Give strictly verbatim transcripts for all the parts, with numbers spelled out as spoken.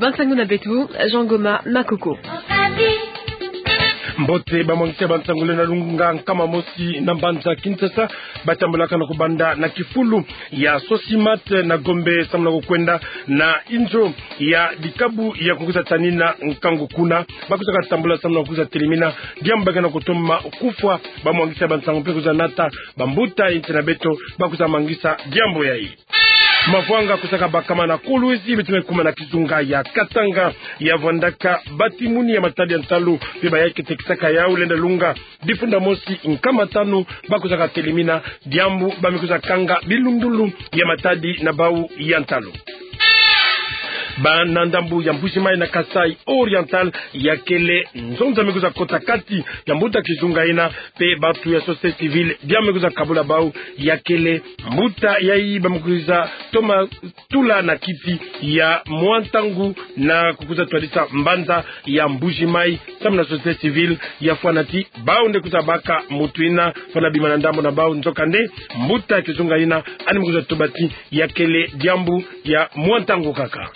Bansangu na beto, Jean Goma Makoko. Mbote. Bamwangisi ya bansangu lenda lunga nkama mosi na mbanza Kinshasa, batambolaka na kubanda na kifulu ya Sosimat na Gombe, samu na kukwenda na inzo ya dikabu ya kukwiza tanina nkangu kuna. Bakwizaka tambula samu na kukwiza telemina diambu ba ke na kutoma kufwa bamwangisi ya bansangu mpe kwiza nata bambuta ya insi na beto bakwiza mangisa diambu yayi. Mavwanga kwizaka bakama na Kolwezi, beto me kuma na kizunga ya Katanga, ya vwandaka batimuni ya matadi ya ntalu mpe bayayi ke tekisaka yau lenda lunga difunda mosi nkama tanu bakwizaka telemina diambu ba me kwiza kanga bilundulu ya matadi na bau ya ntalu. Bana ndambu ya Mbuji-Mayi na Kasaï Oriental, ya kele nzonza me kwiza kota kati ya mbuta kizunga yina, mpe bantu ya société civile diambu me kwiza kabula bau, ya kele mbuta yayi ba me kwiza toma tula na kiti ya mwa ntangu na kukwiza twadisa mbanza ya Mbuji-Mayi, samu na société civile ya fwana ti bau nde kwiza baka mutu yina fwana bima na ndambu na bau. Nzokande, mbuta kizunga yina yandi me kwiza tuba ti ya kele diambu ya mwa ntangu kaka.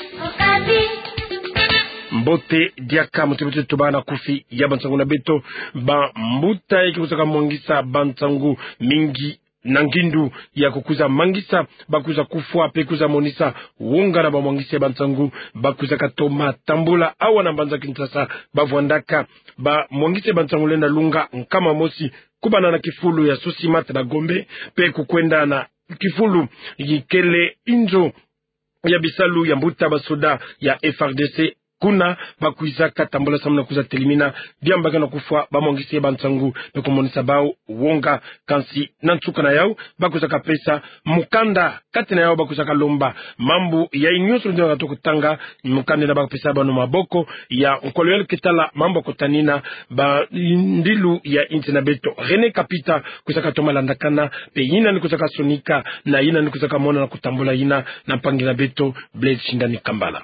Mbote diaka, mutu beto tobana kufi ya bansangu na beto. Bambuta yayi ke kwizaka mwangisa bansangu mingi na ngindu ya kukwiza mangisa bakwiza kufwa mpe kwiza monisa wonga na bamwangisi ya bansangu bakwizaka toma tambula awa na mbanza Kinshasa, ba vwandaka bamwangisi ya bansangu lenda lunga nkama mosi, kubana na kifulu ya Sosimat na Gombe mpe kukwenda na kifulu yi kele inzo ya bisalu ya mbuta basoda ya F R D C. Kuna bakwizaka tambula samu na kwiza telemina diambu ba ke na kufwa bamwangisi ya bansangu mpe kumonisa bau wonga. Kansi na nsuka na yau, bakwizaka pesa mukanda, kati na yau bakwizaka lomba mambu yayi nyonso nde na kutanga. Mukanda yina bakapesa bana maboko ya nkolo yalu ke tala mambu ya kutanina bandilu ya insi na beto, René Kapita, kwizaka toma landakana mpe yina yandi kwizaka sonika na yina yandi kwizaka mona na kutambula yina na mpangi na beto Blaise Shindani Kambala.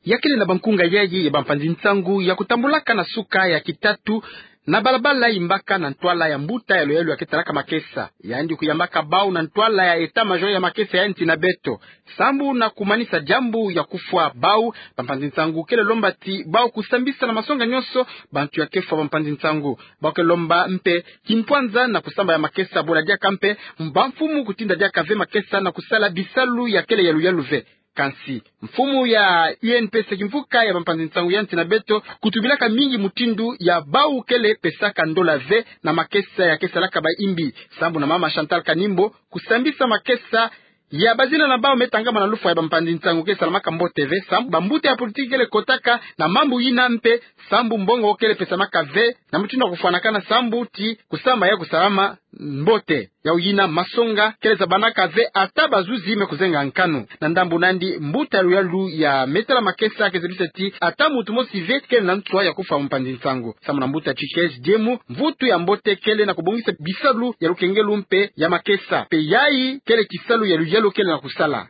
Ya kele na bankunga yayi ya bampanzi nsangu ya kutambulaka na suka ya kitatu na balabala yimbaka na ntwala ya mbuta ya luyalu ya ke talaka makesa, yandi kuyambaka bau na ntwala ya état-major ya makesa ya insi na beto. Sambu na kumanisa diambu ya kufwa bau, bampanzi nsangu kele lomba ti bau kusambisa na masonga nyonso bantu ya ke fwa bampanzi nsangu. Bau ke lomba mpe kimpwanza na kusamba ya makesa, bola diaka mpe bamfumu kutinda diaka ve makesa na kusala bisalu ya kele ya luyalu ve. Kansi mfumu ya U N P C kimvuka ya bampanzi nsangu ya insi na beto kutubilaka mingi mutindu ya bau kele pesaka ndola ve na makesa ya ke salaka bayimbi. Sambu na mama Chantal Kanimbo, kusambisa makesa ya bazina na bau me tangama na lufwa ya bampanzi nsangu ke salamaka mbote ve, sambu bambuta ya politiki kele kotaka na mambu yina mpe sambu mbongo kele pesamaka ve na mutindu ya kufwanakana, sambu ti kusamba ya kusalama mbote. Yau yina masonga kele zabanaka ve ata bazuzi me kuzenga nkanu. Na ndambu na yandi, mbuta ya luyalu ya me tala makesa ke zabisa ti ata mutu mosi ve kele na nswa ya kufwa mpanzi nsangu. Sambu na mbuta Tchikez Diemu, mvutu ya mbote kele na kubongisa bisalu ya lukengelu mpe ya makesa, mpe yayi kele kisalu ya luyalu kele na kusala.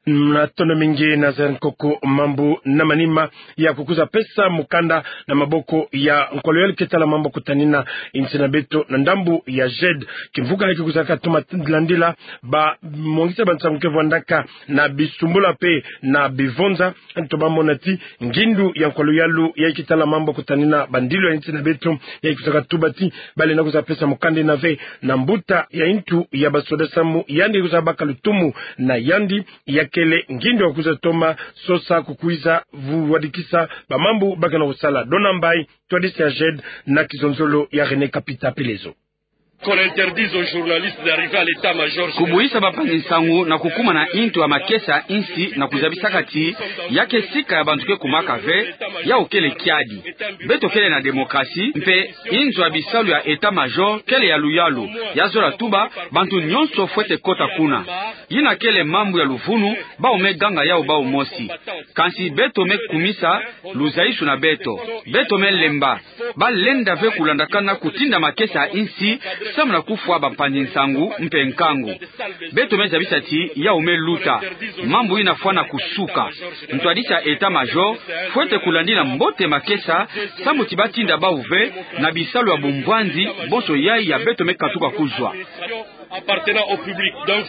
Matondo mingi Nazaire Nkoko. Mambu na manima ya kukwiza pesa mukanda na maboko ya nkolo yalu ke tala mambu ya kutanina insi na beto na ndambu ya JED, kimvuka yayi ke kwizaka toma landila bamwangisi ya bansangu ke vwandaka na bisumbula mpe na bivonza, nto bamona ti ngindu ya nkolo yalu yayi ke tala mambu ya kutanina bandilu ya insi na beto, yayi kwizaka tuba ti balenda kwiza pesa mukanda yina ve na mbuta ya ntu ya basoda samu yandi kwiza baka lutumu na yandi, ya kele ngindu ya kwiza toma sosa kukwiza vuwadikisa bamambu ba ke na kusala. Dona Mbaye, twadisi ya JED na kizonzolo ya René Kapita Pelezo. Qu'on interdise aux journalistes d'arriver à l'état-major. Kubuyisa bampanzi nsangu na kukuma na ntu ya makesa ya insi na kuzabisaka ti ya ke sika ya bantu ke kumaka ve, yau kele kiadi. Beto kele na démocratie, mpe inzo ya bisalu ya état-major kele ya luyalu, ya zola tuba bantu nyonso fwete kota kuna. Yina kele mambu ya luvunu, bau me ganga yau bau mosi. Kansi beto me kumisa luzayisu na beto. Beto me lemba. Balenda ve kulandakana kutinda makesa ya insi samu na kufwa bampanzi nsangu mpe nkangu. Beto me zabisa ti yau me luta. Mambu yina fwana kusuka. Ntwadisi ya état-major fwete kulandila mbote makesa samu ti batinda bau ve na bisalu ya bumbwanzi bonso yayi ya beto me katuka kuzwa. Appartenant au public. Donc,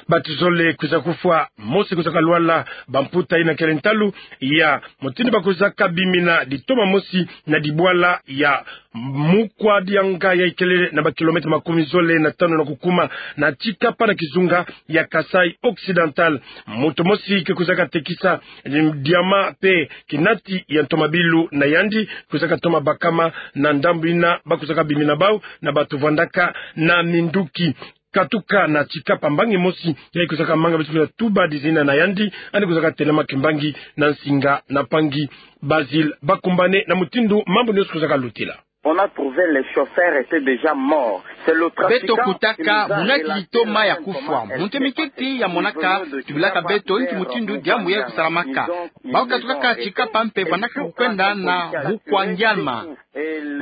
Batu zole kwiza kufwa, mosi kwizaka lwala, bamputa ina kele ntalu ya mutindu ba kwizaka bimina ditoma mosi na dibwala ya Mukwa Dianga ya ikele na ba kilomètre makumi zole na tanu na kukuma na Tshikapa na kizunga ya Kasaï Occidental. Muntu mosi ke kwizaka tekisa diamant pe kinati ya ntomabilu na yandi kwizaka toma bakama na ndambu ina ba kwizaka bimina bau na batu vwandaka na minduki. Katuka na Tshikapa, mbangi mosi ya ikwizaka manga beto kwizaka tuba dizina na yandi, yandi kwizaka telama kimbangi na nsinga na mpangi Basile Bakumbane na mutindu mambu nionso kwizaka lutila. On a trouvé les chauffeurs étaient déjà morts. C'est le trafiquant qui nous a relaté la scène comme ça. Beto kutaka munati ditoma ya kufwa. Muntu ya miketi ya monaka tubilaka beto inki mutindu diambu ya kusalamaka. Bau katukaka Tshikapa mpe vwandaka kukwenda na Mukwa Dianga.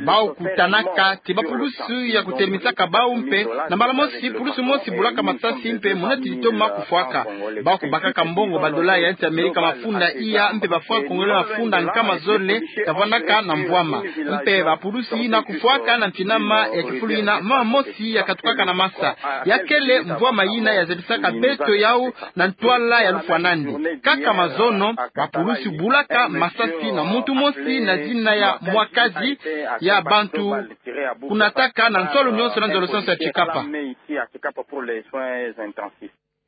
Bau kutanaka ti bapulusu ya kutelemisaka bau mpe, na mbala mosi pulusu mosi bulaka masasi mpe munati ditoma kufwaka. Bau kubakaka mbongo, badola ya nsi Amerika mafunda iya mpe ba franc congolais mafunda nkama zole, kavwandaka na mvwama. Mpe bapulusu ina kufwaka na mpinama ya kifulu ina mama mosi ya katukaka na masa. Ya kele mvwama ina ya zabisaka beto yau na ntwala ya lufwa nandi. Kaka mazono, bapulusu bulaka masasi na muntu mosi na zina ya Mwakazi ya bantu kunataka na ntwala nionso na nzololo nionso ya Tshikapa.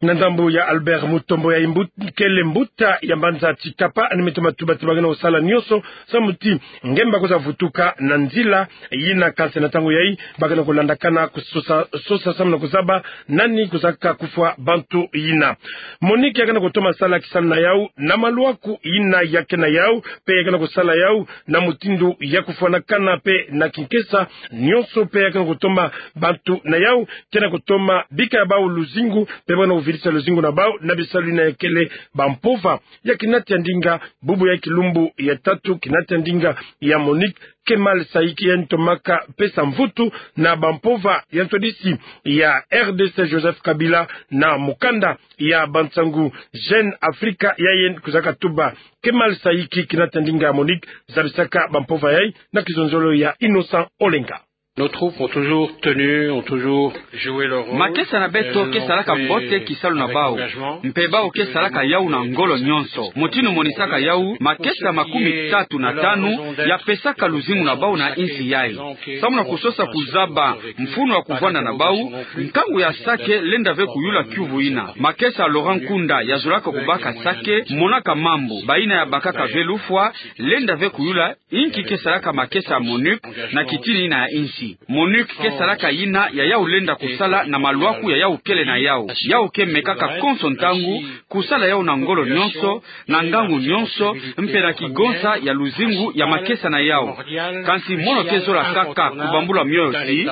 Na ndambu ya Albert Mutombo ya imbu-, kele mbuta ya mbanza Tshikapa, yandi me toma tuba ti ba kena kusala nionso samu ti nge mba kwiza vutuka na nzila ina, kansi na ntangu yayi ba kena kulandakana kusosa, sosa samu na kuzaba nani kwizaka kufwa bantu ina. MONUC ya kena kutoma sala kisalu na yau na maluaku ina ya kena yau, mpe ya kena kusala yau na mutindu ya kufwanakana mpe na kinkesa nionso, mpe ya kena kutoma bantu na yau, kena kutoma bika ya bau luzingu, mpe ba kena kuvilisa luzingu na bau na bisalu ina ya kele bampova. Ya kinati ya ndinga, bubu ya kilumbu ya tatu, kinati ya ndinga ya MONUC, Kemal Saiki, yandi tomaka pesa mvutu na bampova ya ntwadisi ya R D C Joseph Kabila na mukanda ya bansangu Jeune Africa, ya yandi kwizaka tuba. Kemal Saiki, kinati ya ndinga ya MONUC, zabisaka bampova yayi na kizonzolo ya Innocent Olenga. Nos troupes ont toujours tenu, ont toujours joué leur rôle. Makesa na beto ke salaka mbote kisalu na bau, mpe bau ke salaka yau na ngolo nionso. Mutindu monisaka yau, makesa makumi tatu na tanu ya pesaka luzingu na bau na insi yayi. Samu na kusosa kuzaba mfunu ya kuvwanda na bau, nkangu ya sake lenda ve kuyula kiuvu ina. Makesa Laurent Nkunda ya zolaka kubaka sake, monaka mambu, bayina ya bakaka ve lufwa, lenda ve kuyula inki ke salaka makesa ya MONUC na kitini ina ya insi. MONUC ke salaka yina ya yau lenda kusala na maluaku ya yau kele na yau. Yau ke mekaka konso ntangu kusala yau na ngolo nionso, na ngangu nionso, mpe na kigonsa ya luzingu ya makesa na yau. Kansi mono ke zola kaka kubambula mioyo ti,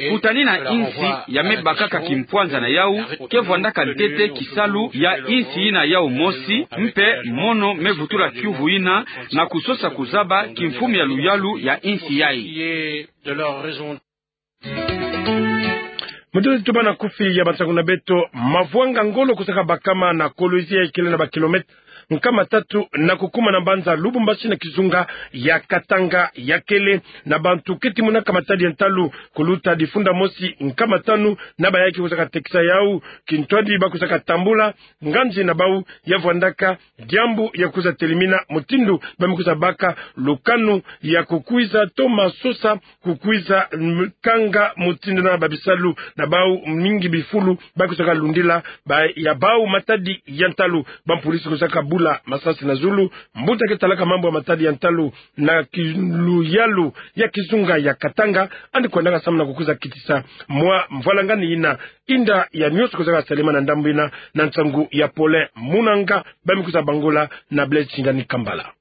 kutanina insi ya me bakaka kimpwanza na yau, ke vwandaka ntete kisalu ya insi ina yau mosi, mpe mono me vutula kiuvu ina na kusosa kuzaba kimfumu ya luyalu ya insi yayi. Mutindu ti tubana kufi ya bansangu na beto, mavwanga ngolo kwizaka bakama na Kolwezi ya ikele na ba kilomètre nkama tatu na kukuma na mbanza Lubumbashi na kizunga ya Katanga, ya kele na bantu keti monaka matadi ya ntalu kuluta difunda mosi nkama tanu na bayaya ke kwizaka tekisa yau kintwadi ba kwizaka tambula nganzi na bau ya vwandaka diambu ya kwiza telimina mutindu ba me kwiza baka lukanu ya kukwiza toma sosa kukwiza, mm, kanga mutindu na babisalu na bau mingi bifulu ba kwizaka lundila ba ya bau matadi ya ntalu. Bampulisi kwizaka bula masasi na zulu. Mbuta ke talaka mambu ya matadi ya ntalu na ki-, luyalu ya kizunga ya Katanga, yandi kwendaka samu na kukwiza kitisa mwa mvwalangani ina, inda ya nionso kwizaka salema na ndambu ina na nsangu ya Paulin Munanga, ba me kwiza bangula na Blaise Shingani Kambala.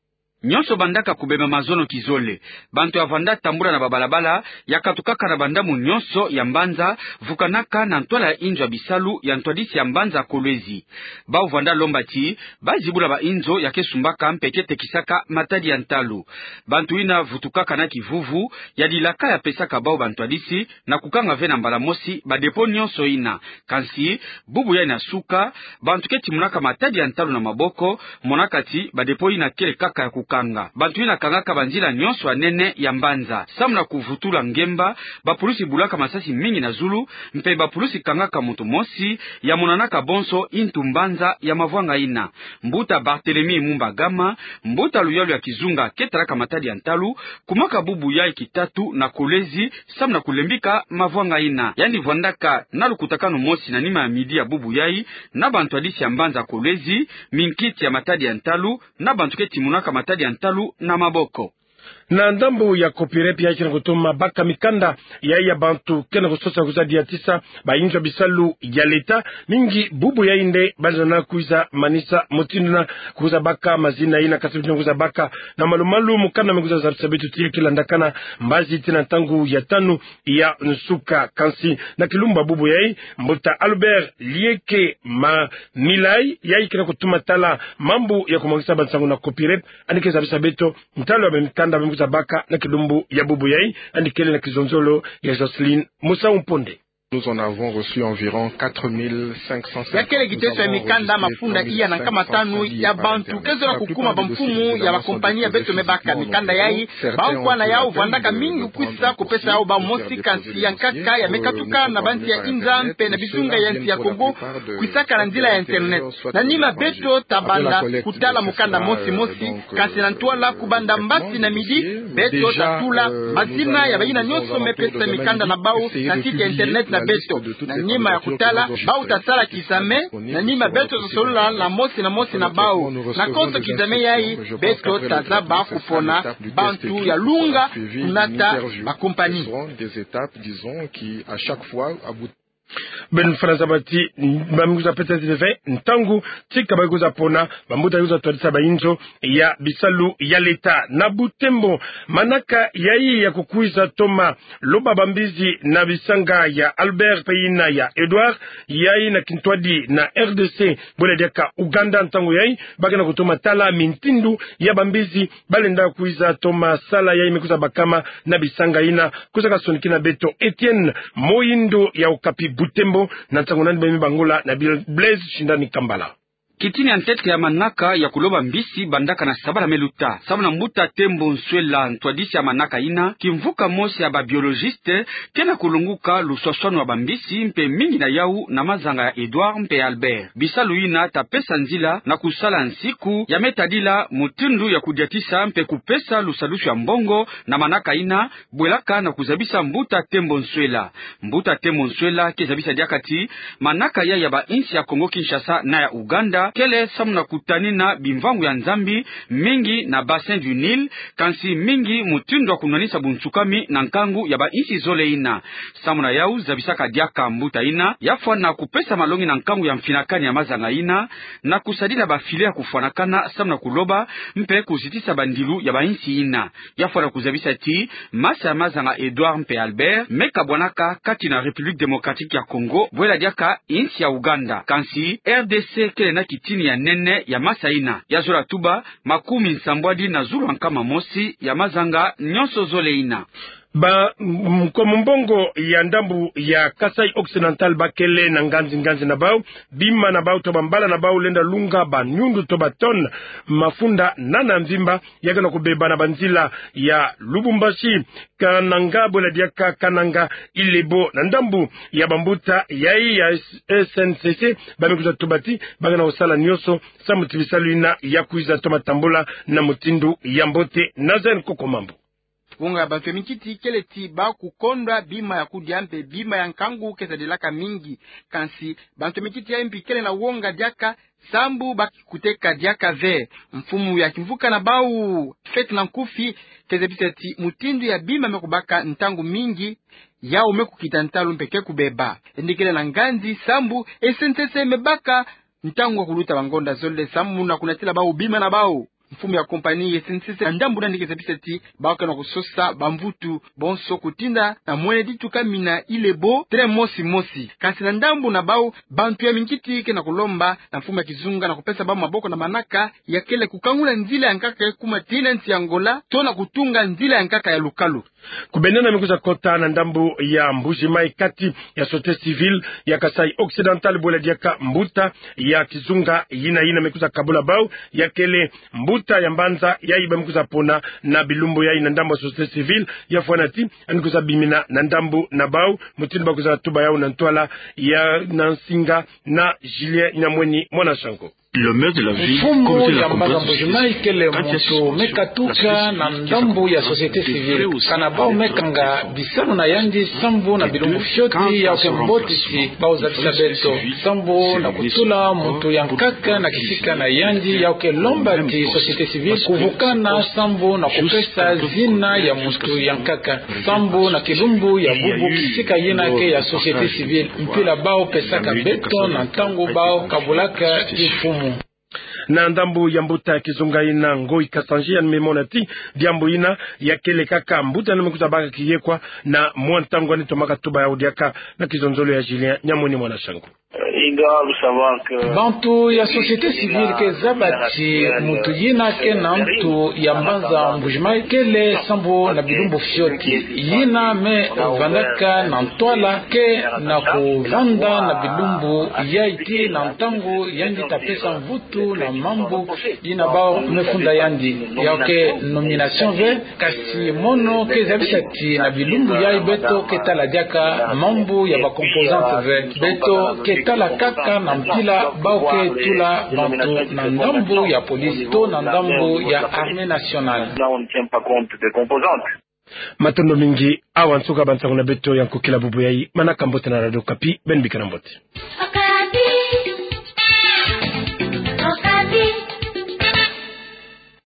Nionso bandaka kubeba mazono kizole. Bantu ya vanda tambula na babalabala ya katukaka na bandambu nionso ya mbanza, vukanaka na ntwala ya inzo ya bisalu ya ntwadisi ya mbanza Kolwezi. Bau vanda lomba ti ba zibula ba inzo ya ke sumbaka mpe ke tekisaka matadi ya ntalu. Bantu ina vutukaka na kivuvu ya dilaka ya pesaka bau bantwadisi na kukanga ve na mbala mosi ba dépôt nionso ina. Kansi, bubu yayi na suka, bantu keti monaka matadi ya ntalu na maboko, monaka ti ba dépôt ina kele kaka ya kuka kanga. Bantu yina kangaka banzila nyonso ya nene ya mbanza. Samu na kuvutula ngemba, bapulusi bulaka masasi mingi na zulu, mpe bapulusi kangaka muntu mosi, ya monanaka bonso intu mbanza ya mavwanga yina. Mbuta Barthélemy Mumba Gama, mbuta luyalu ya kizunga ke talaka matadi ya ntalu, kumaka bubu yayi kitatu na Kolwezi, samu na kulembika mavwanga yina. Yandi vwandaka na lukutakanu mosi na nima ya midi ya bubu yayi, na bantwadisi ya mbanza Kolwezi, minkiti ya matadi ya ntalu, na bantu ke timonaka matadi ya ntalu na maboko. Na ndambu ya Copirep yayi ke na kutuma baka mikanda yayi ya bantu ke na kusosa kwiza diatisa bayinzo ya bisalu ya leta, mingi bubu yayi nde baza na kwiza manisa mutindu na kwiza baka mazina yina, kasi mutindu na kwiza baka. Na malu-malu mukanda me kwiza zabisa beto ti ya ke landakana mbazi tii na ntangu ya tanu ya nsuka. Kansi na kilumbu ya bubu yayi, mbuta Albert Lieke Ma Milay, yayi ke na kutuma tala mambu ya kumwangisa bansangu na Copirep, yandi ke zabisa beto ntalu ya bamikanda me kwiza baka na kilumbu ya bubu yayi. Yandi kele na kizonzolo ya Jocelyne Musau Mponde. Nous en avons reçu environ quatre mille cinq cent cinquante. Ya kele kiteso ya mikanda mafunda iya na nkama tanu ya bantu ke zola kukuma bamfumu ya bakompani ya beto me baka mikanda yayi. Bankwa na yau vwandaka mingi kwisa kupesa yau bamosi, kansi ya nkaka ya me katuka na bansi ya inza mpe na bizunga ya nsi ya Kongo, kwisaka na nzila ya internet. Na nima beto tabanda kutala mukanda mosi-mosi, kansi na ntwala kubanda mbasi na midi, beto tatula mazina ya bayina nyonso me pesa mikanda na bau na site ya internet na beto. Na nima ya kutala, bau tasala kizame, na nima beto tasolola na mosi na mosi na bau. Na konso kizame yayi, beto tazaba kupona bantu ya lunga kunata bakompani. Des étapes, disons, qui, à chaque fois, aboutit. Beno fwana zaba ti, ba me kwiza pesa ti ve ntangu tika ba kwiza pona bambuta kwiza twadisa bayinzo ya bisalu ya leta. Na Butembo, manaka yayi ya kukwiza toma loba bambizi na bisanga ya Albert mpe yina ya Edouard, yayi na kintwadi na R D C, bwela diaka Ouganda. Ntangu yayi ba ke na kutoma tala mintindu ya bambizi balenda kwiza toma sala yayi me kwiza bakama na bisanga yina. Kwiza kasonikina beto Etienne Moyindo ya Okapi Butembo, na nsangu nani ba me bangula na Bil-, Blaise Shindani Kambala. Kitini ya ntete ya manaka ya kuloba mbisi bandaka na sabala me luta. Samu na mbuta Tembo Nswela, ntwadisi ya manaka yina, kimvuka mosi ya ba biologiste ke na kulonguka luswaswanu ya bambisi, mpe mingi na yau na mazanga ya Edouard mpe Albert. Bisalu yina ta pesa nzila na kusala nsiku ya me tadila mutindu ya kudiatisa mpe kupesa lusadusu ya mbongo na manaka yina, bwelaka na kuzabisa mbuta Tembo Nswela. Mbuta Tembo Nswela ke zabisa diaka ti manaka yayi ya bainsi ya Kongo Kinshasa na ya Ouganda kele samu na kutanina bimvangu ya Nzambi, mingi na Bassin du Nil, kansi mingi mutindu ya kunwanisa bunsukami na nkangu ya bainsi zole yina. Samu na yau, zabisaka diaka mbuta yina ya fwana kupesa malongi na nkangu ya mfinakani ya mazanga yina, na kusadila ba filet ya kufwanakana samu na kuloba mpe kuzitisa bandilu ya bainsi yina. Ya fwana kuzabisa ti masa ya mazanga Edouard mpe Albert me kabwanaka kati na République Démocratique ya Congo, bwela diaka insi ya Ouganda. Kansi R D C kele na kitini ya nene ya masa yina. Ya zola tuba makumi nsambwadi na zulu ya nkama mosi ya mazanga nyonso zole yina. Ba, m-, nkomo mbongo ya ndambu ya Kasaï Occidental bakele na nganzi-nganzi na bau, bima na bau to bambala na bau lenda lunga banyundu to ba tonnes mafunda nana mvimba, ya ke na kubeba na banzila ya Lubumbashi, Kananga, bwela diaka Kananga, Ilebo. Na ndambu ya bambuta yayi ya S-, S N C C, ba me kwiza tuba ti ba ke na kusala nyonso samu ti bisalu yina ya kwiza toma tambula na mutindu ya mbote. Nazaire Nkoko Mambu. Wonga ya bantu ya minkiti kele ti ba kukondwa bima ya kudia mpe bima ya nkangu ke sadilaka mingi. Kansi bantu ya minkiti yayi mpi kele na wonga diaka sambu ba kuteka diaka ve. Mfumu ya kimvuka na bau, Fête na Nkufi, ke zabisa ti mutindu ya bima me kubaka ntangu mingi, yau me kukita ntalu mpe ke kubeba. Yandi kele na nganzi sambu S N C C me baka ntangu ya kuluta bangonda zole samu na kunatila bau bima na bau. Mfumu ya compagnie ya S N C C na ndambu na yandi ke zabisa ti bau ke na kusosa bamvutu bonso kutinda na mwene ditu kamina Ilebo train mosi mosi. Kansi na ndambu na bau, bantu ya minkiti ke na kulomba na mfumu ya kizunga na kupesa bau maboko na manaka ya kele kukangula nzila ya nkaka ya kuma tii na nsi ya Angola, to na kutunga nzila ya nkaka ya lukalu. Kubendana me kwiza kota na ndambu ya Mbuji-Mayi kati ya société civile ya Kasaï Occidental, bwela diaka mbuta ya kizunga yina, yina me kwiza kabula bau, ya kele mbu- Mbuta ya mbanza yayi ba me kwiza pona na bilumbu yayi na ndambu ya société civile, ya fwana ti, yandi kwiza bimina na ndambu na bau, mutindu ba kwiza tuba yawu na ntwala ya na nsinga na Julien Nyamweni Mwana Shango. Mfumu ya mbanza Mbuji-Mayi kele muntu me katuka na ndambu ya société civile. Kana bau me kanga bisalu na yandi sambu na bilumbu fioti, yawu ke mbotisi bau zabisa beto. Sambu na kutula muntu ya nkaka na kisika na yandi, yawu ke lomba ti société civile kuvukana sambu na kupesa zina ya muntu ya nkaka. Sambu na kilumbu ya bubu kisika yina ke ya société civile, mpila bau pesaka beto na ntangu bau kabulaka kimfumu. Na ndambu ya mbuta ya kizunga yina Ngoyi Kasanji, yandi me mona ti diambu yina ya kele kaka mbuta yandi me kwiza baka kiyekwa na mwa ntangu, yandi tomaka tuba yawu diaka na kizonzolo ya Julien Nyamweni Mwana Shango. Bantu ya société civile ke zaba ti muntu yina ke na ntu ya mbanza Mbuji-Mayi kele sambu na bilumbu fioti. Yina me vandaka na ntwala ke na kuvanda na bilumbu yayi ti na ntangu yandi ta pesa mvutu na mambu yina bau me funda yandi. Yawu ke nomination ve, kasi mono ke zabisa ti na bilumbu yayi beto ke tala diaka mambu ya ba composante ve. Beto ke tala kaka na mpila bau ke tula bantu na ndambu ya police to na ndambu ya armée nationale. Matondo mingi. Awa nsuka ba nsangu na beto ya nkokila bubu yayi. Manaka mbote na Radio Okapi, beno bikana mbote.